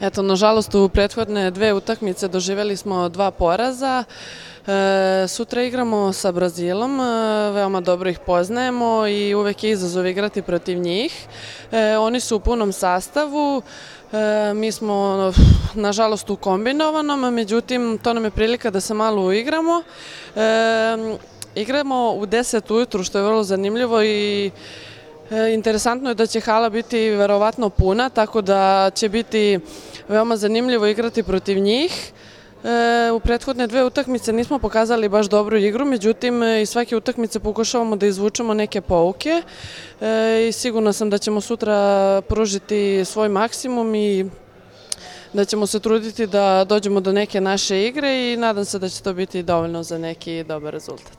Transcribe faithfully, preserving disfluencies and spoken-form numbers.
Eto, nažalost, u prethodne dve utakmice doživjeli smo dva poraza. E, sutra igramo sa Brazilom, e, veoma dobro ih poznajemo i uvek je izazov igrati protiv njih. E, oni su u punom sastavu, e, mi smo nažalost u kombinovanom, međutim to nam je prilika da se malo uigramo. E, igramo u deset ujutru, što je vrlo zanimljivo i interesantno je da će hala biti verovatno puna, tako da će biti veoma zanimljivo igrati protiv njih. U prethodne dve utakmice nismo pokazali baš dobru igru, međutim iz svake utakmice pokušavamo da izvučemo neke pouke i sigurna sam da ćemo sutra pružiti svoj maksimum i da ćemo se truditi da dođemo do neke naše igre i nadam se da će to biti dovoljno za neki dobar rezultat.